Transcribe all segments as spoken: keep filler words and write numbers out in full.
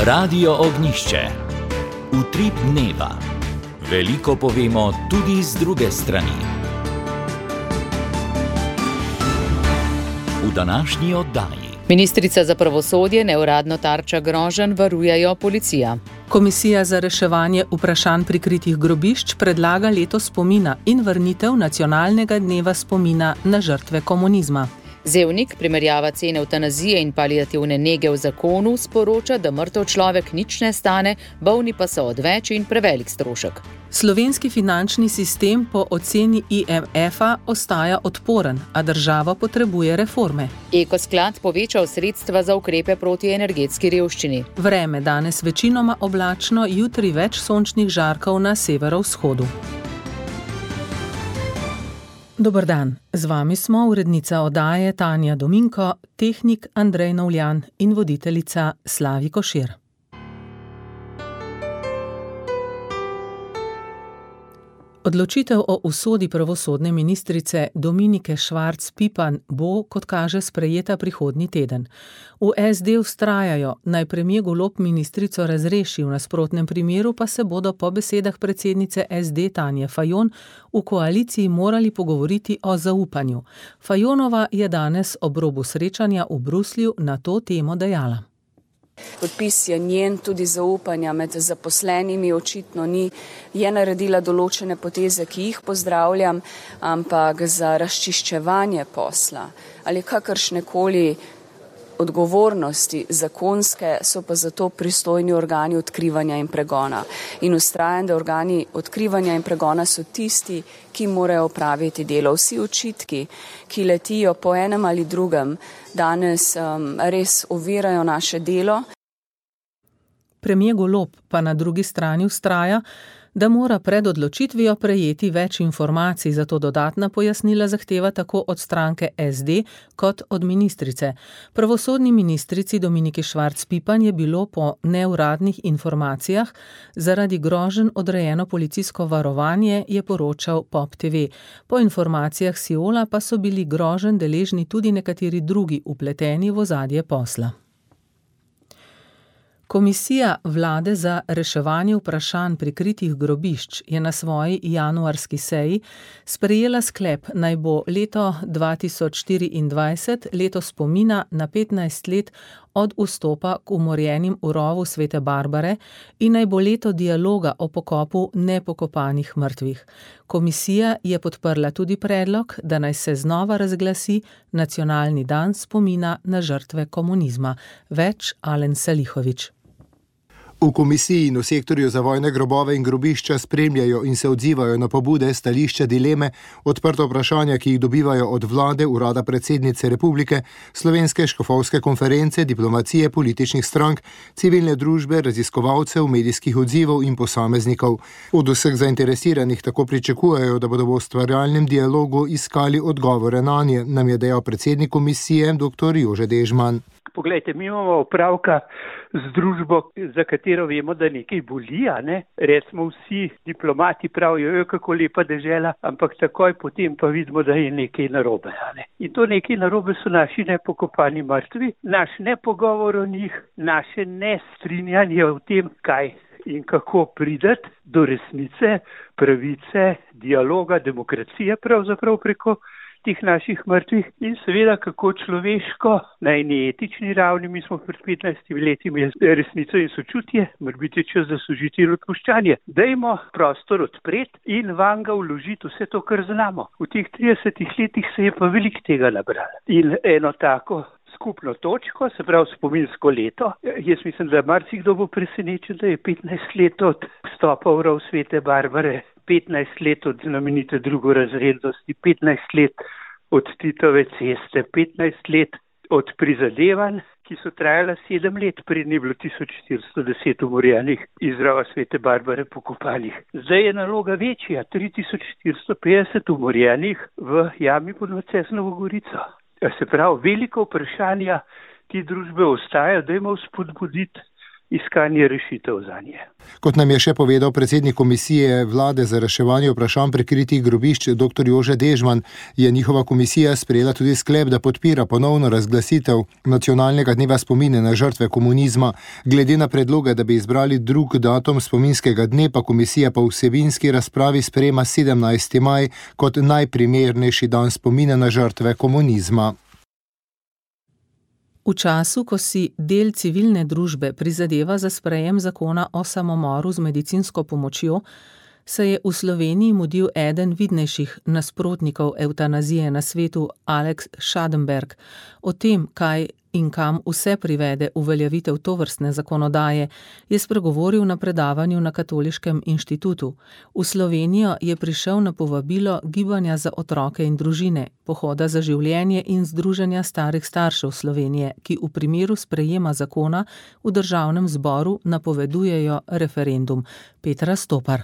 Radio Ognišče. Utrip dneva. Veliko povemo tudi z druge strani. V današnji oddaji. Ministrica za pravosodje neuradno tarča groženj varujejo policija. Komisija za reševanje vprašanj prikritih grobišč predlaga leto spomina in vrnitev nacionalnega dneva spomina na žrtve komunizma. Zevnik primerjava cene evtanazije in paliativne nege v zakonu, sporoča, da mrtev človek nič ne stane, bolni pa so odveč in prevelik strošek. Slovenski finančni sistem po oceni I M F-a ostaja odporen, a država potrebuje reforme. Ekosklad povečal sredstva za ukrepe proti energetski revščini. Vreme danes večinoma oblačno, jutri več sončnih žarkov na severovzhodu. Dober dan, z vami smo urednica oddaje Tanja Dominko, tehnik Andrej Novljan in voditeljica Slavi Košir. Odločitev o usodi pravosodne ministrice Dominike Švarc Pipan bo, kot kaže, sprejeta prihodnji teden. V S D vztrajajo, naj premier Golob ministrico razreši, v nasprotnem primeru pa se bodo po besedah predsednice S D Tanje Fajon v koaliciji morali pogovoriti o zaupanju. Fajonova je danes ob robu srečanja v Bruslju na to temo dejala. Podpis je njen, tudi zaupanja med zaposlenimi očitno ni, je naredila določene poteze, ki jih pozdravljam, ampak za razčiščevanje posla ali kakršnekoli odgovornosti zakonske so pa zato pristojni organi odkrivanja in pregona. In vztrajam, da organi odkrivanja in pregona so tisti, ki morajo opraviti delo. Vsi očitki, ki letijo po enem ali drugem, danes um, res ovirajo naše delo. Premier Golob pa na drugi strani vztraja, da mora pred odločitvijo prejeti več informacij, zato dodatna pojasnila zahteva tako od stranke S D kot od ministrice. Pravosodni ministrici Dominiki Švarc Pipan je bilo po neuradnih informacijah zaradi groženj odrejeno policijsko varovanje, je poročal Pop T V. Po informacijah Siola pa so bili groženj deležni tudi nekateri drugi vpleteni v ozadje posla. Komisija vlade za reševanje vprašanj prikritih grobišč je na svoji januarski seji sprejela sklep, naj bo leto dva tisoč štiriindvajset leto spomina na petnajst let od vstopa k umorjenim v rovu Svete Barbare in naj bo leto dialoga o pokopu nepokopanih mrtvih. Komisija je podprla tudi predlog, da naj se znova razglasi nacionalni dan spomina na žrtve komunizma. Več Alen Salihović. V komisiji in v sektorju za vojne grobove in grobišča spremljajo in se odzivajo na pobude, stališča, dileme, odprta vprašanja, ki jih dobivajo od vlade, urada predsednice republike, Slovenske škofovske konference, diplomacije, političnih strank, civilne družbe, raziskovalcev, medijskih odzivov in posameznikov. Od vseh zainteresiranih tako pričakujejo, da bodo v ustvarjalnem dialogu iskali odgovore nanje, nam je dejal predsednik komisije dr. Jože Dežman. Poglejte, mi imamo opravka z družbo, za katero vemo, da nekaj boli, a ne? Recimo vsi diplomati pravijo, kako lepa dežela, ampak takoj potem pa vidimo, da je nekaj narobe, a ne? In to nekaj narobe so naši nepokopani mrtvi, naš nepogovor o njih, naše nestrinjanje o tem, kaj in kako prideti do resnice, pravice, dialoga, demokracije pravzaprav preko tih naših mrtvih in seveda kako človeško, na eni etični ravni, mi smo pred petnajstimi leti imeli resnico in sočutje, morbiti čas za sožitje in odpuščanje. Dajmo prostor odpreti in van ga vložiti vse to, kar znamo. V teh tridesetih letih se je pa veliko tega nabralo. In eno tako skupno točko, se pravi spominsko leto, jaz mislim, da marsikdo bo presenečen, da je petnajst let od vstopa v rov Svete Barbare, petnajst let od znamenite drugorazrednosti, petnajst let od Titove ceste, petnajst let od prizadevanj, ki so trajala sedem let, pred ni bilo tisoč štiristo deset umorjenih iz rova Svete Barbare pokopanih. Zdaj je naloga večja, tri tisoč štiristo petdeset umorjenih v jami pod Macesnovo Gorico. Se pravi, veliko vprašanja, ki družbe ostajajo, dajmo spodbuditi iskanje rešitev za nje. Kot nam je še povedal predsednik komisije vlade za reševanje vprašanj prikritih grobišč dr. Jože Dežman, je njihova komisija sprejela tudi sklep, da podpira ponovno razglasitev nacionalnega dneva spomina na žrtve komunizma. Glede na predloge, da bi izbrali drug datum spominskega dne, pa komisija po vsebinski razpravi sprejema sedemnajsti maj kot najprimernejši dan spomina na žrtve komunizma. V času, ko si del civilne družbe prizadeva za sprejem zakona o samomoru z medicinsko pomočjo, se je v Sloveniji mudil eden vidnejših nasprotnikov evtanazije na svetu, Alex Schadenberg. O tem, kaj in kam vse privede uveljavitev tovrstne zakonodaje, je spregovoril na predavanju na Katoliškem inštitutu. V Slovenijo je prišel na povabilo Gibanja za otroke in družine, Pohoda za življenje in Združenja starih staršev Slovenije, ki v primeru sprejema zakona v državnem zboru napovedujejo referendum. Petra Stopar.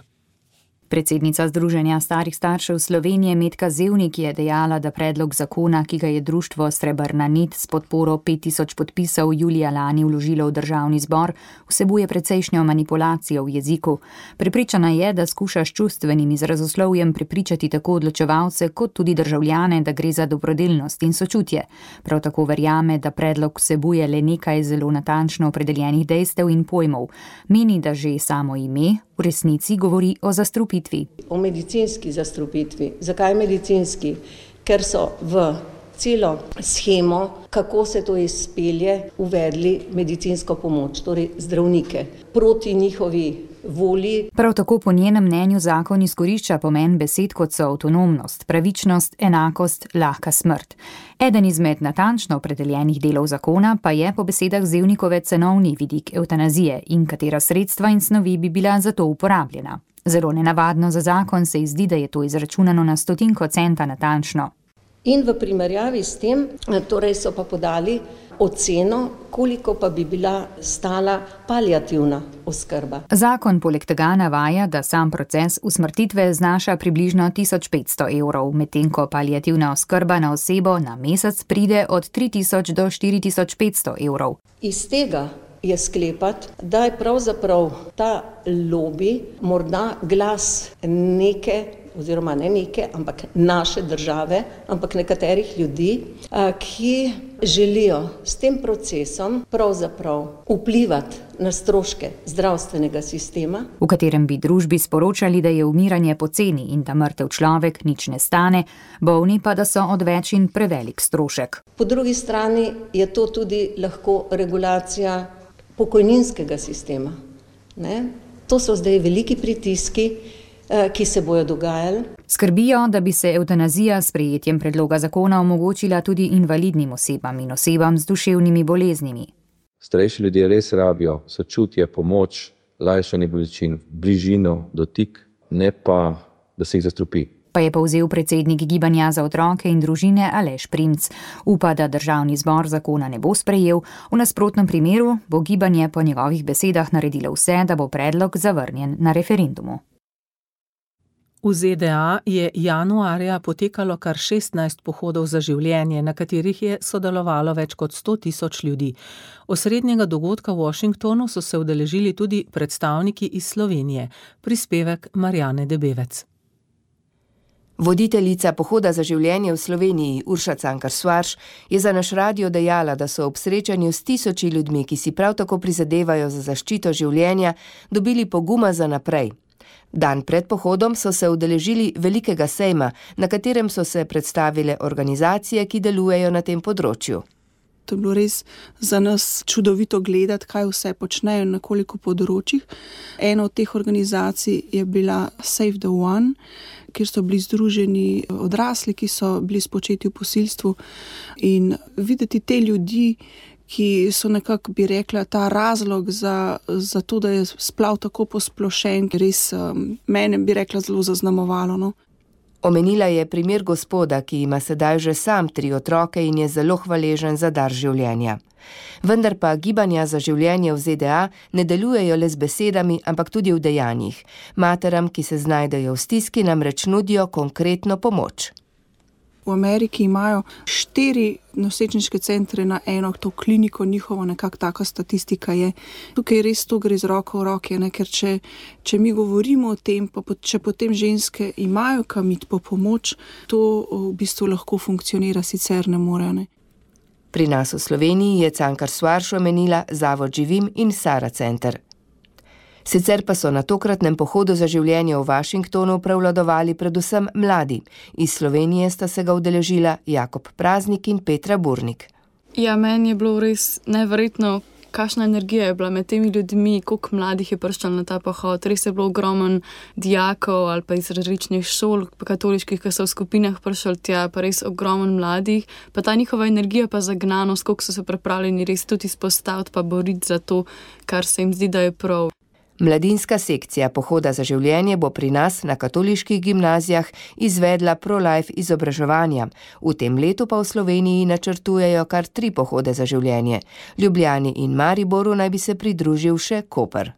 Predsednica Združenja starih staršev Slovenije Metka Zevnik je dejala, da predlog zakona, ki ga je društvo Srebrna nit s podporo pet tisoč podpisov julija lani vložilo v državni zbor, vsebuje precejšnjo manipulacijo v jeziku. Prepričana je, da skuša s čustvenim izrazoslovjem prepričati tako odločevalce kot tudi državljane, da gre za dobrodelnost in sočutje. Prav tako verjame, da predlog vsebuje le nekaj zelo natančno opredeljenih dejstev in pojmov. Meni, da že samo ime v resnici govori o zastrupitvi. O medicinski zastrupitvi. Zakaj medicinski? Ker so v celo shemo, kako se to izpelje, uvedli medicinsko pomoč, torej zdravnike, proti njihovi volji. Prav tako po njenem mnenju zakon izkorišča pomen besed, kot so avtonomnost, pravičnost, enakost, lahka smrt. Eden izmed natančno opredeljenih delov zakona pa je po besedah Zevnikove cenovni vidik evtanazije in katera sredstva in snovi bi bila za to uporabljena. Zelo nenavadno za zakon se izdi, da je to izračunano na stotinko centa natančno. In v primerjavi s tem, torej so pa podali oceno, koliko pa bi bila stala paliativna oskrba. Zakon poleg tega navaja, da sam proces usmrtitve znaša približno tisoč petsto evrov, medtem ko paliativna oskrba na osebo na mesec pride od tri tisoč do štiri tisoč petsto evrov. Iz tega je sklepati, da je pravzaprav ta lobi morda glas neke, oziroma ne neke, ampak naše države, ampak nekaterih ljudi, ki želijo s tem procesom pravzaprav vplivati na stroške zdravstvenega sistema, v katerem bi družbi sporočali, da je umiranje poceni in da mrtev človek nič ne stane, bolni pa, da so odveč in prevelik strošek. Po drugi strani je to tudi lahko regulacija pokojninskega sistema. Ne? To so zdaj veliki pritiski, ki se bojo dogajali. Skrbijo, da bi se evtanazija s sprejetjem predloga zakona omogočila tudi invalidnim osebam in osebam z duševnimi boleznimi. Starejši ljudje res rabijo sočutje, pomoč, lajšanje bolečin, bližino, dotik, ne pa, da se jih zastrupi. Pa je povzel predsednik Gibanja za otroke in družine Aleš Primc. Upa, da državni zbor zakona ne bo sprejel, v nasprotnem primeru bo gibanje po njegovih besedah naredilo vse, da bo predlog zavrnjen na referendumu. V Z D A je januarja potekalo kar šestnajst pohodov za življenje, na katerih je sodelovalo več kot sto tisoč ljudi. Osrednjega dogodka v Washingtonu so se udeležili tudi predstavniki iz Slovenije. Prispevek Marjane Debevec. Voditeljica Pohoda za življenje v Sloveniji, Urša Cankar-Svarš, je za naš radio dejala, da so ob srečanju s tisoči ljudmi, ki si prav tako prizadevajo za zaščito življenja, dobili poguma za naprej. Dan pred pohodom so se udeležili velikega sejma, na katerem so se predstavile organizacije, ki delujejo na tem področju. To je bilo res za nas čudovito gledati, kaj vse počnejo na koliko področjih. Ena od teh organizacij je bila Save the One, kjer so bili združeni odrasli, ki so bili spočeti v posilstvu, in videti te ljudi, ki so nekako, bi rekla, ta razlog za, za to, da je splav tako posplošen, res um, mene, bi rekla, zelo zaznamovalo. No? Omenila je primer gospoda, ki ima sedaj že sam tri otroke in je zelo hvaležen za dar življenja. Vendar pa Gibanja za življenje v Z D A ne delujejo le z besedami, ampak tudi v dejanjih. Materam, ki se znajdejo v stiski, namreč nudijo konkretno pomoč. V Ameriki imajo štiri nosečniške centre na eno, to kliniko njihovo, nekako taka statistika je. Tukaj res to gre z roko v roke, ne? Ker če, če mi govorimo o tem, pa če potem ženske imajo kam iti po pomoč, to v bistvu lahko funkcionira, sicer ne more. Ne? Pri nas v Sloveniji je Cankar Soares omenila Zavod Živim in Sara center. Sicer pa so na tokratnem pohodu za življenje v Washingtonu prevladovali predvsem mladi. Iz Slovenije sta se ga udeležila Jakob Praznik in Petra Burnik. Ja, meni je bilo res neverjetno, kakšna energija je bila med temi ljudmi, koliko mladih je prišlo na ta pohod. Res je bilo ogromen dijakov ali pa iz različnih šol katoliških, ki so v skupinah prišli tja, pa res ogromen mladih. Pa ta njihova energija pa zagnanost, koliko so se pripravljeni res tudi izpostaviti pa boriti za to, kar se jim zdi, da je prav. Mladinska sekcija Pohoda za življenje bo pri nas na katoliških gimnazijah izvedla pro-life izobraževanja. V tem letu pa v Sloveniji načrtujejo kar tri pohode za življenje. Ljubljani in Mariboru naj bi se pridružil še Koper.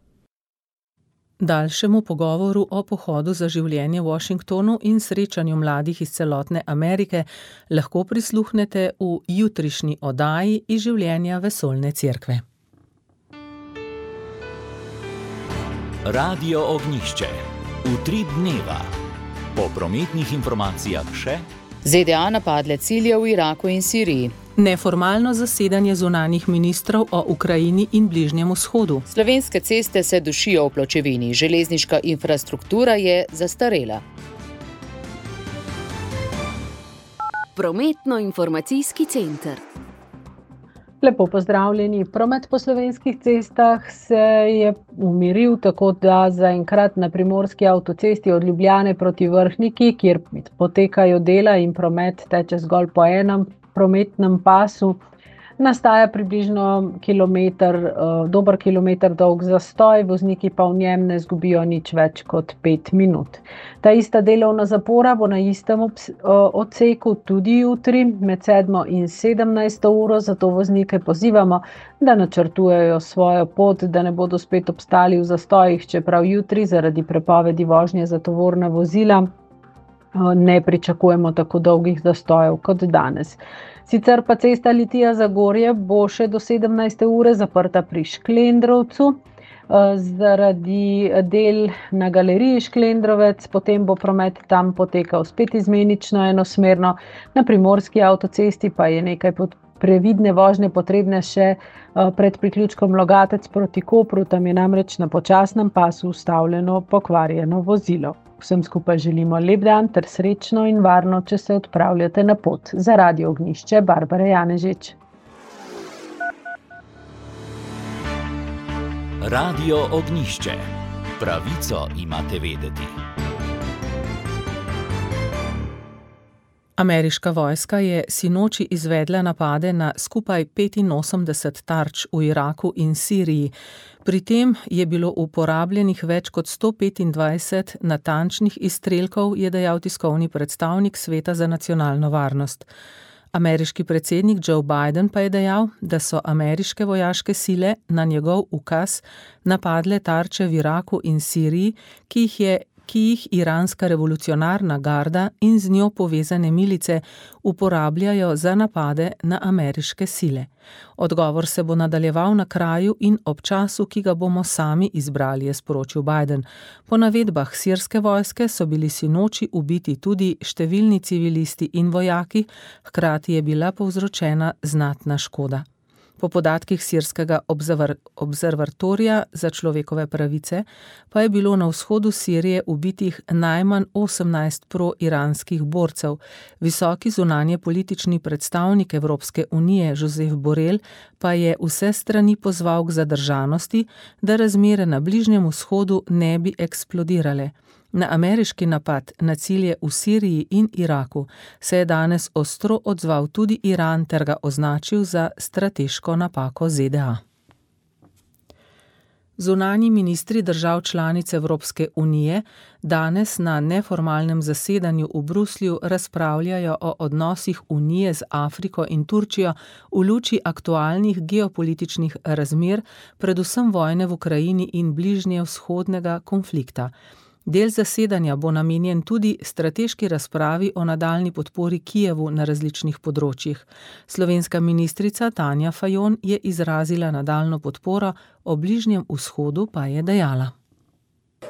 Daljšemu pogovoru o pohodu za življenje v Washingtonu in srečanju mladih iz celotne Amerike lahko prisluhnete v jutrišnji oddaji iz življenja Vesoljne cerkve. Radio Ognjišče. Utrip dneva. Po prometnih informacijah še Z D A napadle cilje v Iraku in Siriji. Neformalno zasedanje zunanjih ministrov o Ukrajini in Bližnjem vzhodu. Slovenske ceste se dušijo v pločevini, železniška infrastruktura je zastarela. Prometno-informacijski center. Lepo pozdravljeni. Promet po slovenskih cestah se je umiril, tako da zaenkrat na primorski avtocesti od Ljubljane proti Vrhniki, kjer potekajo dela in promet teče zgolj po enem prometnem pasu, nastaja približno kilometer, dober kilometer dolg zastoj, vozniki pa v njem ne zgubijo nič več kot pet minut. Ta ista delovna zapora bo na istem odseku tudi jutri med sedmo in sedemnajsto uro, zato voznike pozivamo, da načrtujejo svojo pot, da ne bodo spet obstali v zastojih, čeprav jutri zaradi prepovedi vožnje za tovorna vozila ne pričakujemo tako dolgih zastojev kot danes. Sicer pa cesta Litija-Zagorje bo še do sedemnajste ure zaprta pri Šklendrovcu zaradi del na galeriji Šklendrovec, potem bo promet tam potekal spet izmenično enosmerno, na primorski avtocesti pa je nekaj previdne vožnje potrebne še pred priključkom Logatec proti Kopru, tam je namreč na počasnem pasu ustavljeno pokvarjeno vozilo. Vsem skupaj želimo lep dan ter srečno in varno, če se odpravljate na pot. Za Radio Ognjišče, Barbara Janežič. Radio Ognjišče. Pravico imate vedeti. Ameriška vojska je sinoči izvedla napade na skupaj petinosemdeset tarč v Iraku in Siriji. Pri tem je bilo uporabljenih več kot sto petindvajset natančnih izstrelkov, je dejal tiskovni predstavnik Sveta za nacionalno varnost. Ameriški predsednik Joe Biden pa je dejal, da so ameriške vojaške sile na njegov ukaz napadle tarče v Iraku in Siriji, ki jih je ki jih iranska revolucionarna garda in z njo povezane milice uporabljajo za napade na ameriške sile. Odgovor se bo nadaljeval na kraju in ob času, ki ga bomo sami izbrali, je sporočil Biden. Po navedbah sirske vojske so bili sinoči ubiti tudi številni civilisti in vojaki, hkrati je bila povzročena znatna škoda. Po podatkih sirskega observatorija za človekove pravice pa je bilo na vzhodu Sirije ubitih najmanj osemnajst pro-iranskih borcev. Visoki zunanje politični predstavnik Evropske unije Josep Borrell pa je vse strani pozval k zadržanosti, da razmere na Bližnjem vzhodu ne bi eksplodirale. Na ameriški napad na cilje v Siriji in Iraku se je danes ostro odzval tudi Iran ter ga označil za strateško napako Z D A. Zunanji ministri držav članic Evropske unije danes na neformalnem zasedanju v Bruslju razpravljajo o odnosih Unije z Afriko in Turčijo v luči aktualnih geopolitičnih razmer, predvsem vojne v Ukrajini in bližnje vzhodnega konflikta. Del zasedanja bo namenjen tudi strateški razpravi o nadaljnji podpori Kijevu na različnih področjih. Slovenska ministrica Tanja Fajon je izrazila nadaljnjo podporo, o Bližnjem vzhodu pa je dejala.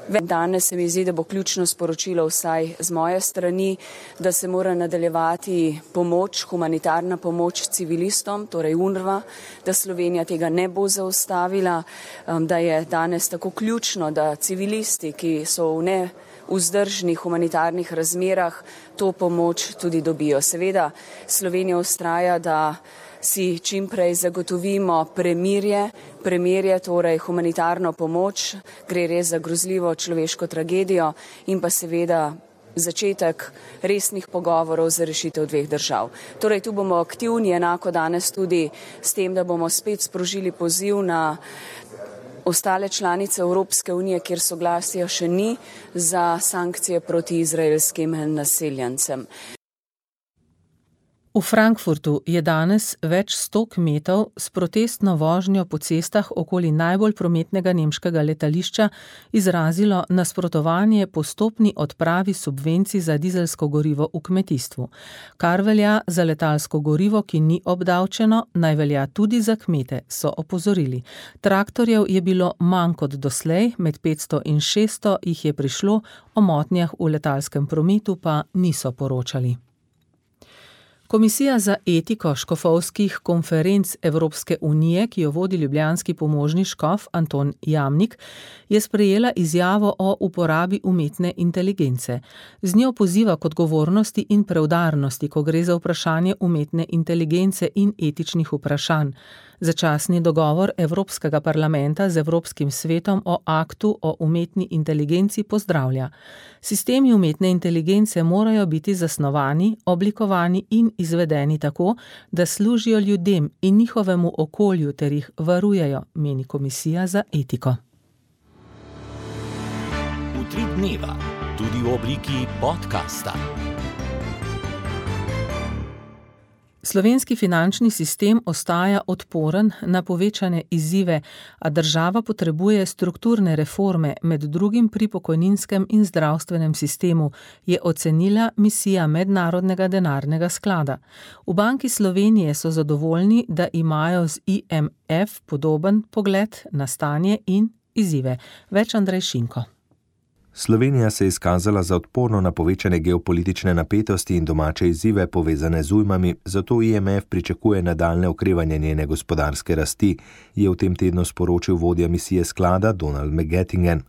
Danes se mi zdi, da bo ključno sporočilo vsaj z moje strani, da se mora nadaljevati pomoč, humanitarna pomoč civilistom, torej UNRWA, da Slovenija tega ne bo zaustavila, da je danes tako ključno, da civilisti, ki so v ne vzdržnih humanitarnih razmerah, to pomoč tudi dobijo. Seveda Slovenija vztraja, da si čim prej zagotovimo premirje, premirje, torej humanitarno pomoč, gre res za grozljivo človeško tragedijo in pa seveda začetek resnih pogovorov za rešitev dveh držav. Torej tu bomo aktivni, enako danes tudi s tem, da bomo spet sprožili poziv na ostale članice Evropske unije, kjer soglasja še ni, za sankcije proti izraelskim naseljencem. V Frankfurtu je danes več sto kmetov s protestno vožnjo po cestah okoli najbolj prometnega nemškega letališča izrazilo nasprotovanje postopni odpravi subvencij za dizelsko gorivo v kmetijstvu. Kar velja za letalsko gorivo, ki ni obdavčeno, naj velja tudi za kmete, so opozorili. Traktorjev je bilo manj kot doslej, med petsto in šeststo jih je prišlo, o motnjah v letalskem prometu pa niso poročali. Komisija za etiko škofovskih konferenc Evropske unije, ki jo vodi ljubljanski pomožni škof Anton Jamnik, je sprejela izjavo o uporabi umetne inteligence. Z njo poziva k odgovornosti in preudarnosti, ko gre za vprašanje umetne inteligence in etičnih vprašanj. Začasni dogovor Evropskega parlamenta z Evropskim svetom o aktu o umetni inteligenci pozdravlja. Sistemi umetne inteligence morajo biti zasnovani, oblikovani in izvedeni tako, da služijo ljudem in njihovemu okolju ter jih varujejo, meni Komisija za etiko. Utrip dneva, tudi v obliki podcasta. Slovenski finančni sistem ostaja odporen na povečane izzive, a država potrebuje strukturne reforme, med drugim pri pokojninskem in zdravstvenem sistemu, je ocenila misija Mednarodnega denarnega sklada. V Banki Slovenije so zadovoljni, da imajo z I M F podoben pogled na stanje in izzive. Več Andrej Šinko. Slovenija se je izkazala za odporno na povečane geopolitične napetosti in domače izzive povezane z ujmami, zato I M F pričakuje nadaljnje okrevanje njene gospodarske rasti, je v tem tednu sporočil vodja misije sklada Donald McGettingen.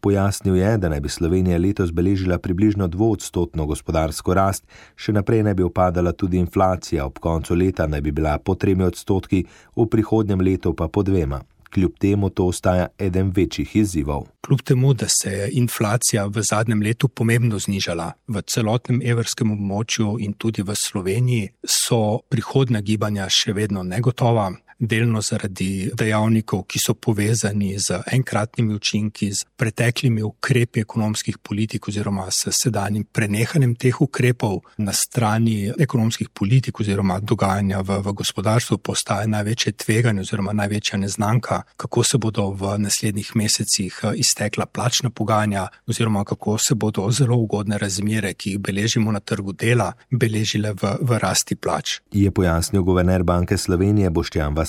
Pojasnil je, da naj bi Slovenija letos beležila približno dvoodstotno gospodarsko rast, še naprej naj bi upadala tudi inflacija, ob koncu leta naj bi bila po tremi odstotki, v prihodnjem letu pa po dvema. Kljub temu to ostaja eden večjih izzivov. Kljub temu, da se je inflacija v zadnjem letu pomembno znižala v celotnem evrskem območju in tudi v Sloveniji, so prihodnja gibanja še vedno negotova, delno zaradi dejavnikov, ki so povezani z enkratnimi učinki, z preteklimi ukrepi ekonomskih politik oziroma s sedanjim prenehanjem teh ukrepov. Na strani ekonomskih politik oziroma dogajanja v, v gospodarstvu postaja največje tveganje oziroma največja neznanka, kako se bodo v naslednjih mesecih iztekla plačna pogajanja oziroma kako se bodo zelo ugodne razmere, ki jih beležimo na trgu dela, beležile v, v rasti plač. Je pojasnil guverner Banke Slovenije Boštjan Vasle.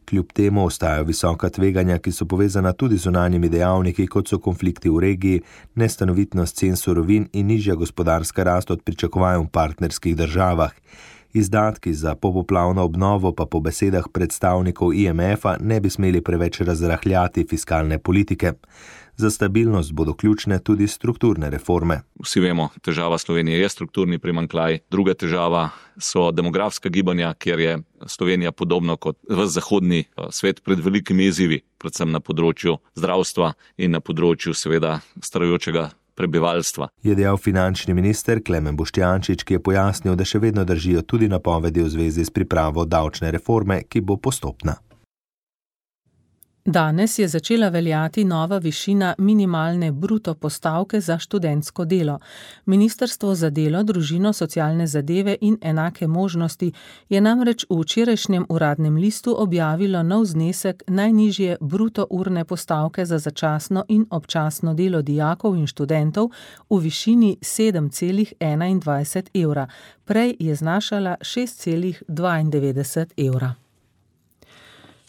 Kljub temu ostajajo visoka tveganja, ki so povezana tudi z zunanjimi dejavniki, kot so konflikti v regiji, nestanovitnost cen surovin in nižja gospodarska rast od pričakovanj v partnerskih državah. Izdatki za popoplavno obnovo pa po besedah predstavnikov I M F-a ne bi smeli preveč razrahljati fiskalne politike. Za stabilnost bodo ključne tudi strukturne reforme. Vsi vemo, težava Slovenije je strukturni primanjkljaj. Druga težava so demografska gibanja, kjer je Slovenija podobno kot v zahodni svet pred velikimi izzivi, predvsem na področju zdravstva in na področju seveda starajočega prebivalstva. Je dejal finančni minister Klemen Boštjančič, ki je pojasnil, da še vedno držijo tudi napovedi v zvezi s pripravo davčne reforme, ki bo postopna. Danes je začela veljati nova višina minimalne bruto postavke za študentsko delo. Ministrstvo za delo, družino, socialne zadeve in enake možnosti je namreč v včerajšnjem uradnem listu objavilo nov znesek najnižje bruto urne postavke za začasno in občasno delo dijakov in študentov v višini sedem celih enaindvajset evra. Prej je znašala šest celih dvaindevetdeset evra.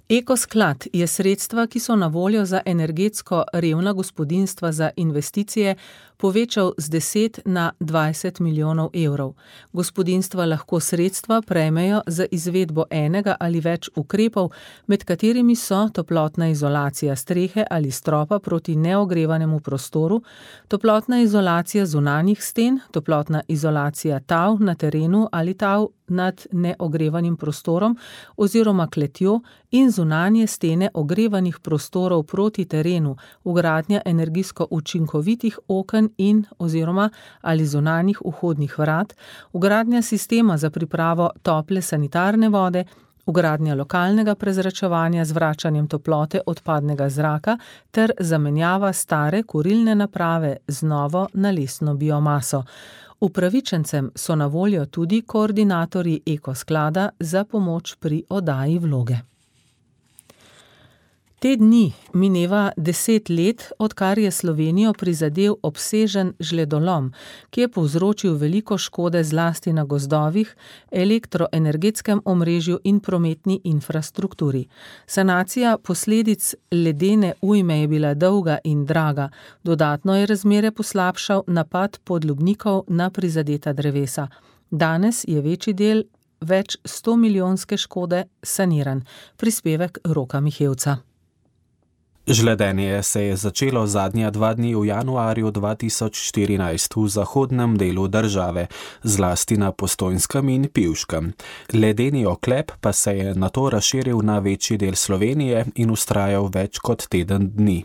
Ekosklad je sredstva, ki so na voljo za energetsko revna gospodinjstva za investicije, povečal z deset na dvajset milijonov evrov. Gospodinjstva lahko sredstva prejmejo za izvedbo enega ali več ukrepov, med katerimi so toplotna izolacija strehe ali stropa proti neogrevanemu prostoru, toplotna izolacija zunanjih sten, toplotna izolacija tav na terenu ali tav nad neogrevanim prostorom oziroma kletjo in zunanje stene ogrevanih prostorov proti terenu, vgradnja energijsko učinkovitih oken in oziroma ali zunanjih vhodnih vrat, vgradnja sistema za pripravo tople sanitarne vode, vgradnja lokalnega prezračevanja z vračanjem toplote odpadnega zraka ter zamenjava stare kurilne naprave z novo na lesno biomaso. Upravičencem so na voljo tudi koordinatorji Ekosklada za pomoč pri oddaji vloge. Te dni mineva deset let, odkar je Slovenijo prizadel obsežen žledolom, ki je povzročil veliko škode zlasti na gozdovih, elektroenergetskem omrežju in prometni infrastrukturi. Sanacija posledic ledene ujme je bila dolga in draga, dodatno je razmere poslabšal napad podlubnikov na prizadeta drevesa. Danes je večji del več sto milijonske škode saniran. Prispevek Roka Mihevca. Žledenje se je začelo zadnja dva dni v januarju dva tisoč štirinajst v zahodnem delu države, zlasti na Postojnskem in Pivškem. Ledeni oklep pa se je nato razširil na večji del Slovenije in vztrajal več kot teden dni.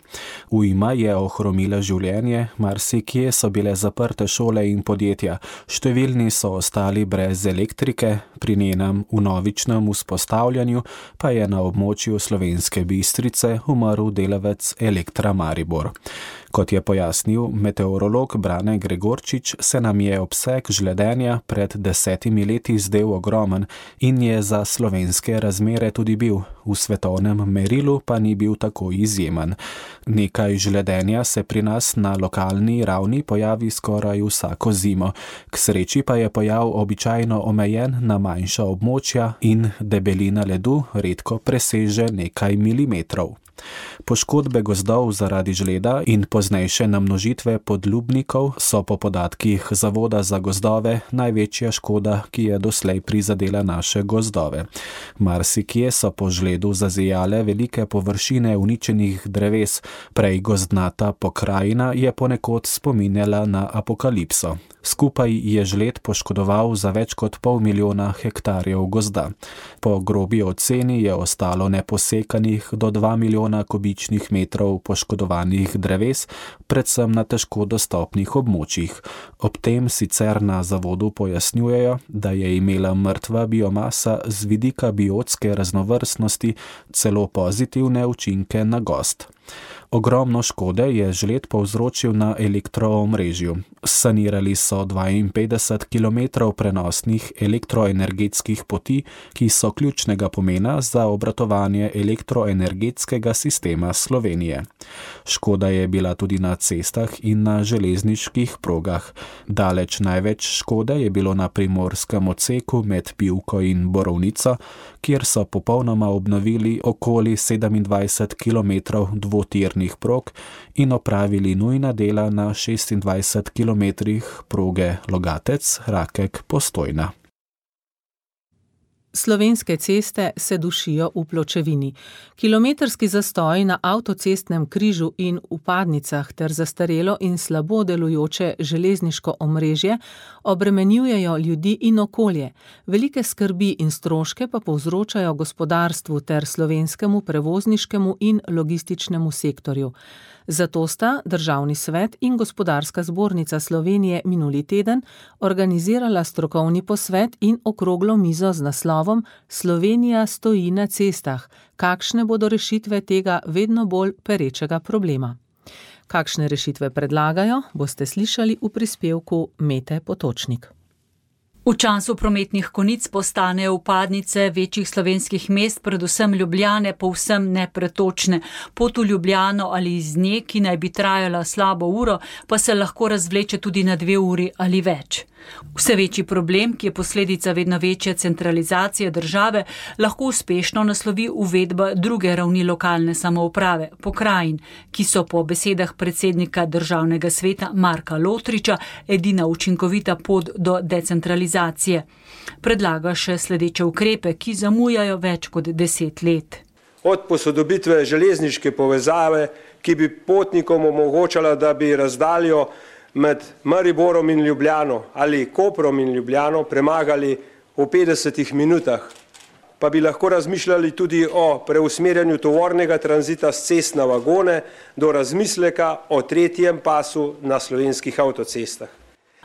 Ujma je ohromila življenje, marsikje so bile zaprte šole in podjetja, številni so ostali brez elektrike, pri njenem vnovičnem vzpostavljanju pa je na območju Slovenske Bistrice umrl delavec Elektra Maribor. Kot je pojasnil meteorolog Brane Gregorčič, se nam je obseg žledenja pred desetimi leti zdel ogromen in je za slovenske razmere tudi bil, v svetovnem merilu pa ni bil tako izjemen. Nekaj žledenja se pri nas na lokalni ravni pojavi skoraj vsako zimo, k sreči pa je pojav običajno omejen na manjša območja in debelina ledu redko preseže nekaj milimetrov. Poškodbe gozdov zaradi žleda in poznejše namnožitve podlubnikov so po podatkih Zavoda za gozdove največja škoda, ki je doslej prizadela naše gozdove. Marsikje so po žledu zazijale velike površine uničenih dreves, prej gozdnata pokrajina je ponekod spominjala na apokalipso. Skupaj je žled poškodoval za več kot pol milijona hektarjev gozda. Po grobi oceni je ostalo neposekanih do dva milijona kubičnih metrov poškodovanih dreves, predvsem na težko dostopnih območjih. Ob tem sicer na zavodu pojasnjujejo, da je imela mrtva biomasa z vidika biotske raznovrstnosti celo pozitivne učinke na gozd. Ogromno škode je žled povzročil na elektroomrežju. Sanirali so dvainpetdeset kilometrov prenosnih elektroenergetskih poti, ki so ključnega pomena za obratovanje elektroenergetskega sistema Slovenije. Škoda je bila tudi na cestah in na železniških progah. Daleč največ škode je bilo na primorskem odseku med Pivko in Borovnico, kjer so popolnoma obnovili okoli sedemindvajset kilometrov dvotirnih prog in opravili nujna dela na šestindvajset kilometrih proge Logatec-Rakek-Postojna. Slovenske ceste se dušijo v pločevini. Kilometrski zastoj na avtocestnem križu in vpadnicah ter zastarelo in slabo delujoče železniško omrežje obremenjujejo ljudi in okolje. Velike skrbi in stroške pa povzročajo gospodarstvu ter slovenskemu prevozniškemu in logističnemu sektorju. Zato sta Državni svet in Gospodarska zbornica Slovenije minuli teden organizirala strokovni posvet in okroglo mizo z naslovom naslovom Slovenija stoji na cestah. Kakšne bodo rešitve tega vedno bolj perečega problema? Kakšne rešitve predlagajo, boste slišali v prispevku Mete Potočnik. V času prometnih konic postanejo vpadnice večjih slovenskih mest, predvsem Ljubljane, povsem nepretočne. Pot v Ljubljano ali iz nje, ki naj bi trajala slabo uro, pa se lahko razvleče tudi na dve uri ali več. Vse večji problem, ki je posledica vedno večje centralizacije države, lahko uspešno naslovi uvedba druge ravni lokalne samouprave, pokrajin, ki so po besedah predsednika Državnega sveta Marka Lotriča edina učinkovita pot do decentralizacije. Predlaga še sledeče ukrepe, ki zamujajo več kot deset let. Od posodobitve železniške povezave, ki bi potnikom omogočala, da bi razdaljo med Mariborom in Ljubljano ali Koprom in Ljubljano premagali v petdesetih minutah, pa bi lahko razmišljali tudi o preusmerjanju tovornega tranzita s cest na vagone do razmisleka o tretjem pasu na slovenskih avtocestah.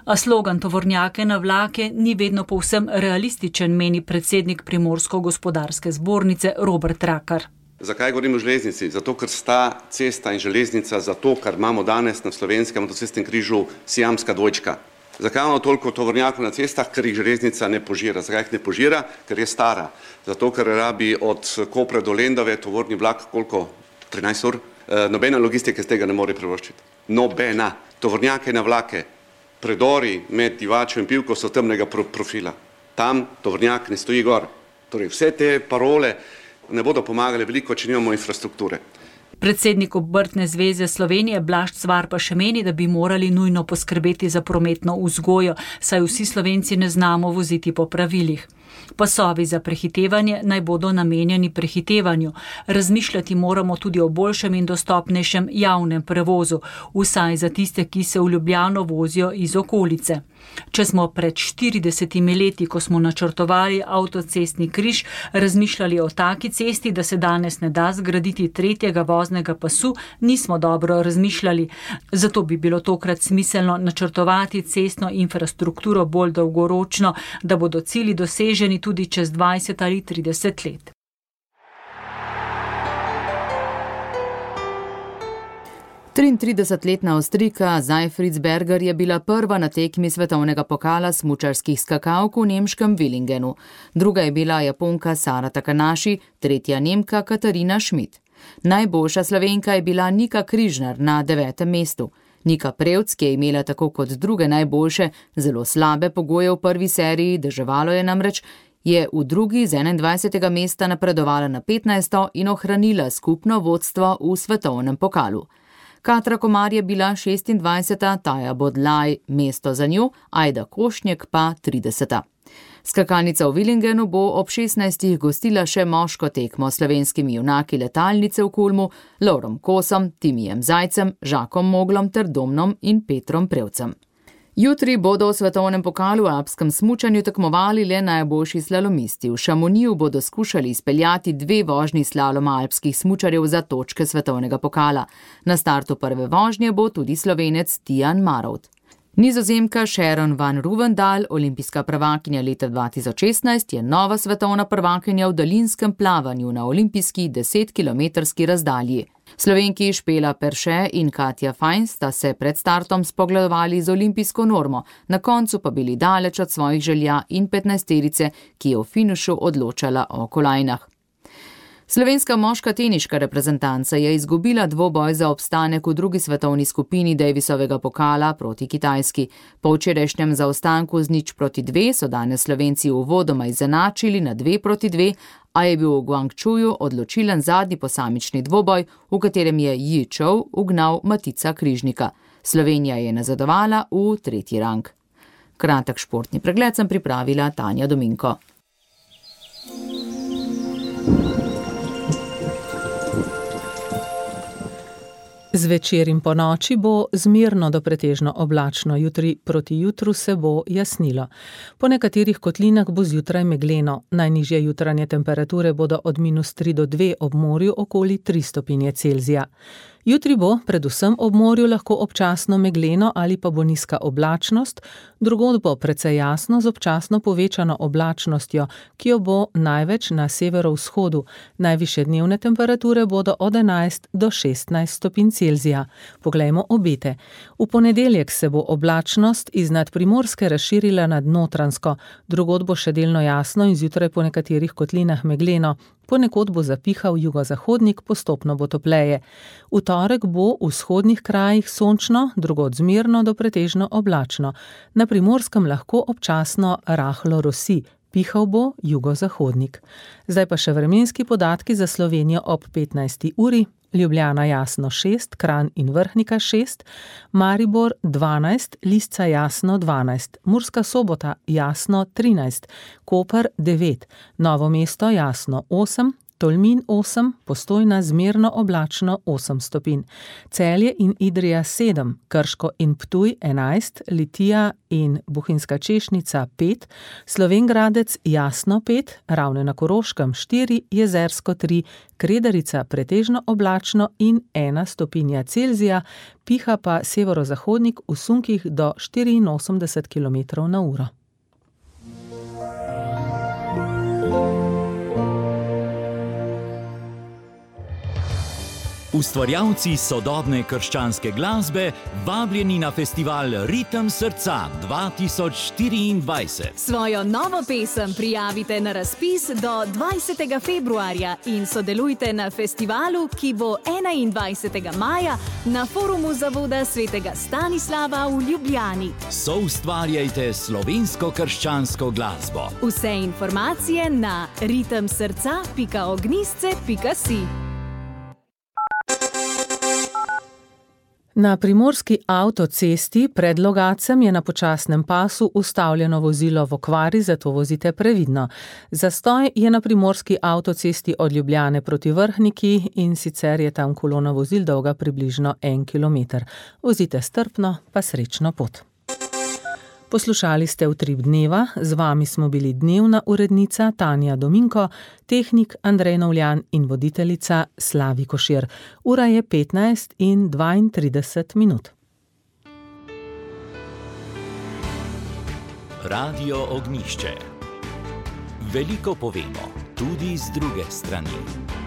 A slogan tovornjake na vlake ni vedno povsem realističen, meni predsednik Primorsko-gospodarske zbornice Robert Rakar. Zakaj govorim o železnici? Zato, ker sta cesta in železnica zato, kar imamo danes na slovenskem avtocestnem križu siamska dvojčka. Zakaj imamo toliko tovornjakov na cestah? Ker jih železnica ne požira. Zakaj jih ne požira? Ker je stara. Zato, ker rabi od Kopra do Lendave tovorni vlak koliko? trinajst ur? E, nobena logistika z tega ne more privoščiti. Nobena. Tovornjake na vlake, predori med Divačo in Pivko so temnega profila. Tam tovornjak ne stoji gor. Torej, vse te parole ne bodo pomagali veliko, če nimamo infrastrukture. Predsednik Obrtne zveze Slovenije Blaž Cvar pa še meni, da bi morali nujno poskrbeti za prometno vzgojo, saj vsi Slovenci ne znamo voziti po pravilih. Pasovi za prehitevanje naj bodo namenjeni prehitevanju. Razmišljati moramo tudi o boljšem in dostopnejšem javnem prevozu, vsaj za tiste, ki se v Ljubljano vozijo iz okolice. Če smo pred štiridesetimi leti, ko smo načrtovali avtocestni križ, razmišljali o taki cesti, da se danes ne da zgraditi tretjega voznega pasu, nismo dobro razmišljali. Zato bi bilo tokrat smiselno načrtovati cestno infrastrukturo bolj dolgoročno, da bodo cilji doseženi tudi čez dvajset ali trideset let. triintridesetletna Avstrijka Seyfried je bila prva na tekmi svetovnega pokala smučarskih skakalk v nemškem Villingenu. Druga je bila Japonka Sara Takanashi, tretja Nemka Katarina Schmidt. Najboljša Slovenka je bila Nika Križnar na devetem mestu. Nika Prevc, ki je imela tako kot druge najboljše zelo slabe pogoje v prvi seriji, deževalo je namreč, je v drugi z enaindvajsetega mesta napredovala na petnajsto in ohranila skupno vodstvo v svetovnem pokalu. Katra Komar je bila šestindvajseta, Taja Bodlaj mesto za njo, Ajda Košnjek pa trideseta. Skakalnica v Villingenu bo ob šestnajstih gostila še moško tekmo s slovenskimi junaki letalnice v Kulmu, Lovrom Kosom, Timijem Zajcem, Žakom Moglom ter Domnom in Petrom Prevcem. Jutri bodo v svetovnem pokalu v alpskem smučanju tekmovali le najboljši slalomisti. V Šamoniju bodo skušali izpeljati dve vožnji slaloma alpskih smučarjev za točke svetovnega pokala. Na startu prve vožnje bo tudi Slovenec Tijan Marovt. Nizozemka Sharon van Ruvendal, olimpijska prvakinja leta dva tisoč šestnajst, je nova svetovna prvakinja v daljinskem plavanju na olimpijski desetkilometrski razdalji. Slovenki Špela Perše in Katja Fajn sta se pred startom spogledovali z olimpijsko normo, na koncu pa bili daleč od svojih želja in petnajsterice, ki je v finišu odločala o kolajnah. Slovenska moška teniška reprezentanca je izgubila dvoboj za obstanek v drugi svetovni skupini Davisovega pokala proti Kitajski. Po včerajšnjem zaostanku z nič proti dve so danes Slovenci uvodoma izenačili na dve proti dve, a je bil v Guangzhouju odločilen zadnji posamični dvoboj, v katerem je Yi Chou ugnal Matica Križnika. Slovenija je nazadovala v tretji rang. Kratek športni pregled sem pripravila Tanja Dominko. Zvečer in po noči bo zmirno do pretežno oblačno, jutri proti jutru se bo jasnilo. Po nekaterih kotlinah bo zjutraj megleno, najnižje jutranje temperature bodo od minus tri do dve ob morju okoli tri stopinje Celzija. Jutri bo predvsem ob morju lahko občasno megleno ali pa bo nizka oblačnost, drugod bo precej jasno z občasno povečano oblačnostjo, ki jo bo največ na severovzhodu. Najvišje dnevne temperature bodo od enajst do šestnajst stopinj Celzija. Poglejmo obete. V ponedeljek se bo oblačnost iz nadprimorske razširila nad Notranjsko, drugod bo še delno jasno in zjutraj po nekaterih kotlinah megleno. Ponekod bo zapihal jugozahodnik, postopno bo topleje. V torek bo v vzhodnih krajih sončno, drugod zmerno do pretežno oblačno. Na Primorskem lahko občasno rahlo rosi, pihal bo jugozahodnik. Zdaj pa še vremenski podatki za Slovenijo ob petnajsti uri. Ljubljana jasno šest, Kranj in Vrhnika šest, Maribor dvanajst, Lisca jasno dvanajst, Murska Sobota jasno trinajst, Koper devet, Novo mesto jasno osem, Tolmin osem, Postojna zmerno oblačno osem stopinj, Celje in Idrija sedem, Krško in Ptuj enajst, Litija in Bohinjska Češnica pet, Slovenj Gradec jasno pet, Ravne na Koroškem štiri, Jezersko tri, Kredarica pretežno oblačno in ena stopinja Celzija, piha pa severozahodnik v sunkih do štiriinosemdeset kilometrov na uro. Ustvarjalci sodobne krščanske glasbe vabljeni na festival Ritem srca dva tisoč štiriindvajset. Svojo novo pesem prijavite na razpis do dvajsetega februarja in sodelujte na festivalu, ki bo enaindvajsetega maja na forumu Zavoda svetega Stanislava v Ljubljani. Soustvarjajte slovensko krščansko glasbo. Vse informacije na ritem srca pika ognjisce pika si. Na primorski avtocesti pred Logacem je na počasnem pasu ustavljeno vozilo v okvari, zato vozite previdno. Zastoj je na primorski avtocesti od Ljubljane proti Vrhniki in sicer je tam kolona vozil dolga približno en kilometer. Vozite strpno, pa srečno pot. Poslušali ste Utrip dneva, z vami smo bili dnevna urednica Tanja Dominko, tehnik Andrej Novljan in voditeljica Slavi Košir. Ura je petnajst in dvaintrideset minut. Radio Ognjišče. Veliko povemo, tudi z druge strani.